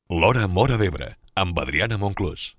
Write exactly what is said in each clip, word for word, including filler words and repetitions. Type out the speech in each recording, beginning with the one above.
L'Hora Móra d'Ebre, amb Adriana Monclús.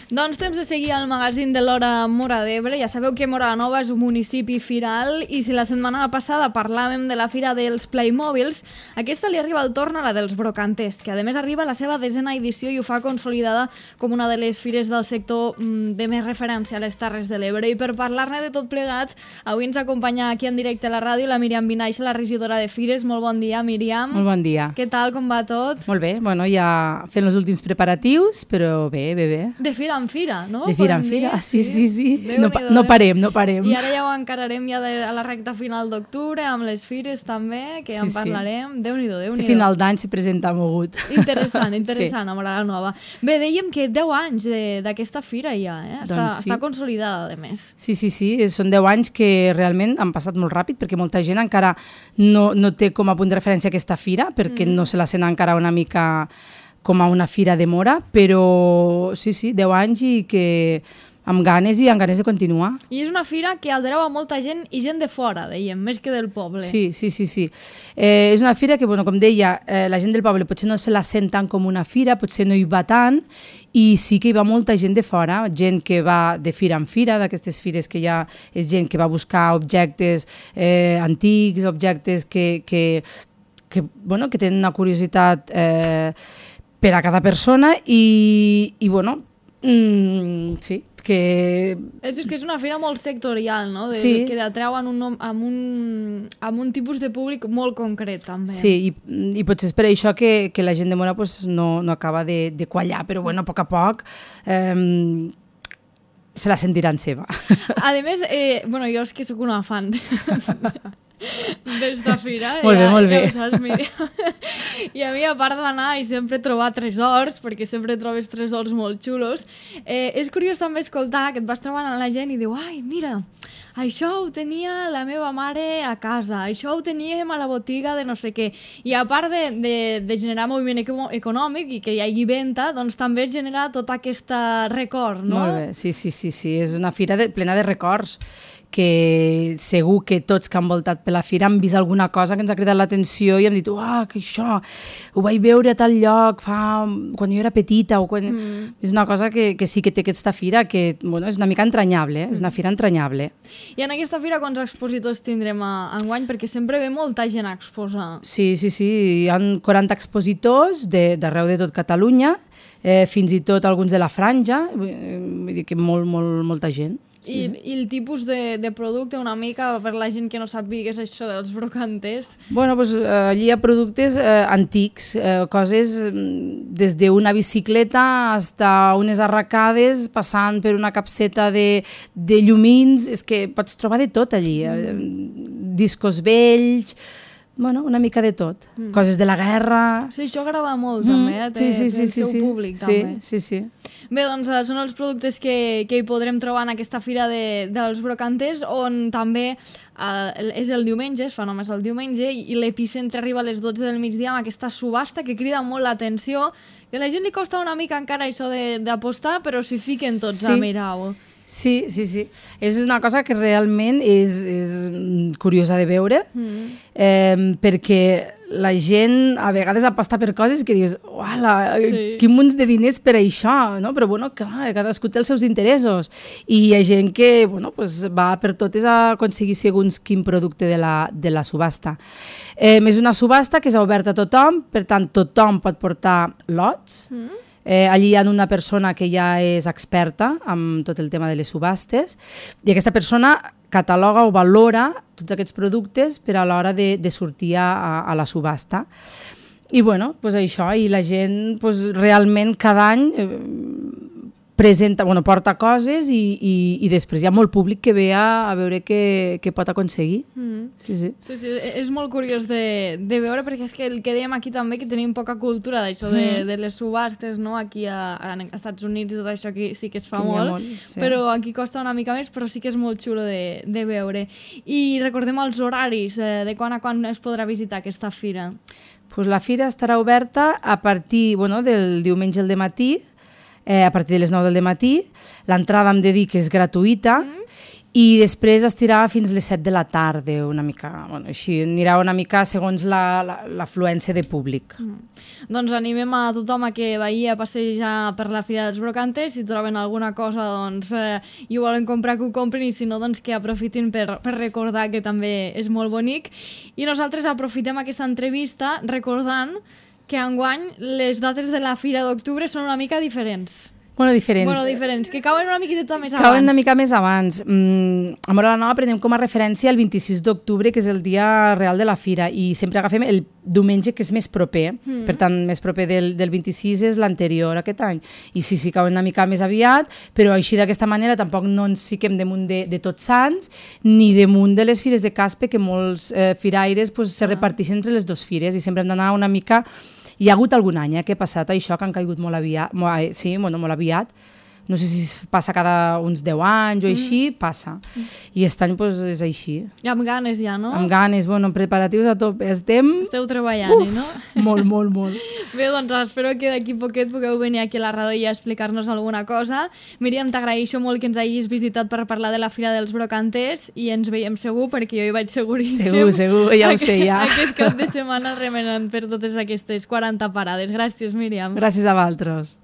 Doncs temps de seguir al magazín de l'Hora Móra d'Ebre. Ja sabeu que Móra la Nova és un municipi firal i si la setmana passada parlàvem de la fira dels Playmobils, aquesta li arriba el torn a la dels brocanters, que a més arriba a la seva desena edició i ho fa consolidada com una de les fires del sector de més referència a les Terres de l'Ebre. I per parlar-ne de tot plegat, avui ens acompanya aquí en directe a la ràdio la Míriam Vinaixa, la regidora de Fires. Molt bon dia, Míriam. Molt bon dia. Què tal, com va tot? Molt bé, bueno, ja fent els últims preparatius, però bé, bé, bé. De fira en fira, no? De fira en fira, sí, sí, sí. No, no parem, no parem. I ara ja ho encararem ja de, a la recta final d'octubre, amb les fires també, que ja en parlarem. Sí. Déu-n'hi-do, Déu-n'hi-do. Este final d'any se presenta mogut. Interessant, interessant, sí. A Móra la Nova. Bé, dèiem que deu anys d'aquesta fira ja, eh? Està, doncs sí. Està consolidada, a més. Sí, sí, sí, són deu anys que realment han passat molt ràpid, perquè molta gent encara no, no té com a punt de referència aquesta fira, perquè mm. no se la sent encara una mica com a una fira de Móra, però sí, sí, deu anys i que amb ganes i amb ganes de continuar. I és una fira que aldereu a molta gent i gent de fora, dèiem, més que del poble. Sí, sí, sí, sí. Eh, és una fira que, bueno, com deia, eh, la gent del poble potser no se la sent tant com una fira, potser no hi va tant, i sí que hi va molta gent de fora, gent que va de fira en fira, d'aquestes fires que ja és gent que va buscar objectes eh, antics, objectes que, que, que, bueno, que tenen una curiositat eh, per a cada persona i, i bueno, mm, sí, que... És, és que és una fira molt sectorial, no? De, sí. Que atreu amb un, amb, un, amb un tipus de públic molt concret, també. Sí, i, i potser és per això que, que la gent de Móra pues, no, no acaba de, de quallar, però bueno, a poc a poc eh, se la sentiran seva. A més, eh, bueno, jo és que sóc una fan d'esta fira. Molt bé, ja, molt bé. Ja ho saps, Míriam. I a mi, a part d'anar i sempre trobar tresors, perquè sempre trobes tresors molt xulos, eh, és curiós també escoltar que et vas trobant amb la gent i diu, ai, mira, això ho tenia la meva mare a casa, això ho teníem a la botiga de no sé què. I a part de, de, de generar moviment econòmic i que hi hagi venda, doncs també es genera tot aquest record, no? Molt bé, sí, sí, sí, sí. És una fira de, plena de records, que segur que tots que han voltat per la fira han vist alguna cosa que ens ha cridat l'atenció i hem dit, uah, que això, ho vaig veure a tal lloc fa, quan jo era petita. O quan... mm. És una cosa que, que sí que té aquesta fira, que bueno, és una mica entranyable, eh? És una fira entranyable. I en aquesta fira quants expositors tindrem a, enguany? Perquè sempre ve molta gent a exposar. Sí, sí, sí, hi ha quaranta expositors d'arreu de, de tot Catalunya, eh, fins i tot alguns de la Franja, vull dir que molt, molt, molta gent. I, i el tipus de, de producte una mica per la gent que no sàpiga què és això dels brocanters? Bueno, doncs, allí hi ha productes eh, antics, eh, coses des d'una bicicleta fins a unes arracades, passant per una capseta de, de llumins, és que pots trobar de tot allí, eh, discos vells, bueno, una mica de tot, mm. coses de la guerra... Sí, això agrada molt mm. també, eh? Té, sí, sí, sí, té el seu sí, públic sí, també. Sí, sí, sí. Bé, doncs són els productes que, que hi podrem trobar en aquesta fira de, dels brocanters, on també eh, és el diumenge, es fa només el diumenge, i l'epicentre arriba a les dotze del migdia amb aquesta subhasta que crida molt l'atenció, que a la gent li costa una mica encara això d'apostar, però s'hi fiquen tots sí. a mirar-ho. Sí, sí, sí. És una cosa que realment és, és curiosa de veure, mm. eh, perquè la gent a vegades aposta per coses que dius, uala, sí. quin munt de diners per això, no? Però bueno, clar, cadascú té els seus interessos. I hi ha gent que bueno, pues va per totes a aconseguir segons quin producte de la, de la subhasta. Eh, és una subhasta que és oberta a tothom, per tant, tothom pot portar lots. Mm. Eh, allí hi ha una persona que ja és experta en tot el tema de les subhastes i aquesta persona cataloga o valora tots aquests productes per a l'hora de, de sortir a, a la subhasta. I bueno, pues això, i la gent pues, realment cada any eh, presenta, bueno, porta coses i, i, i després hi ha molt públic que ve a, a veure què, què pot aconseguir. Mm. Sí, sí. Sí, sí, és molt curiós de, de veure, perquè és que el que dèiem aquí també, que tenim poca cultura d'això de, mm. de les subhastes, no? Aquí a, a Estats Units i tot això aquí sí que es fa que molt, molt sí. Però aquí costa una mica més, però sí que és molt xulo de, de veure. I recordem els horaris, eh, de quan a quan es podrà visitar aquesta fira. Pues la fira estarà oberta a partir bueno, del diumenge al dematí, eh, a partir de les nou del matí. L'entrada hem de dir que és gratuïta, mm. i després estirà fins les set de la tarda, una mica, bueno, així, anirà una mica segons l'afluència de públic. Mm. Doncs animem a tothom a que vagi a passejar per la Fira dels Brocantes, si troben alguna cosa doncs, eh, i ho volen comprar, que ho compren, i si no, doncs que aprofitin per, per recordar que també és molt bonic. I nosaltres aprofitem aquesta entrevista recordant que enguany les dates de la Fira d'octubre són una mica diferents. Bueno, diferents. Bueno, diferents, que cauen una miqueta més abans. Cauen una mica més abans. Mm, a Móra la Nova prenem com a referència el vint-i-sis d'octubre, que és el dia real de la Fira, i sempre agafem el diumenge que és més proper. Mm. Per tant, més proper del, del vint-i-sis és l'anterior aquest any. I sí, sí, cauen una mica més aviat, però així d'aquesta manera tampoc no ens fiquem damunt de, de Tots Sants, ni damunt de les fires de Caspe, que molts eh, firaires pues, se reparteixen entre les dues fires, i sempre hem d'anar una mica... Hi ha hagut algun any eh, que ha passat això, que han caigut molt aviat, molt, sí, bueno, molt aviat. No sé si passa cada uns deu anys o així, mm. passa. Mm. I aquest any pues, és així. I amb ganes ja, no? Amb ganes, bueno, preparatius a tope. Estem... Esteu treballant, uh, no? Molt, molt, molt. Bé, doncs espero que d'aquí poquet pugueu venir aquí a la ràdio i a explicar-nos alguna cosa. Míriam, t'agraeixo molt que ens hagis visitat per parlar de la Fira dels Brocanters, i ens veiem segur, perquè jo hi vaig seguríssim. Segur, segur, ja ho sé, ja. Aquest cap de setmana remenant per totes aquestes quaranta parades. Gràcies, Míriam. Gràcies a vosaltres.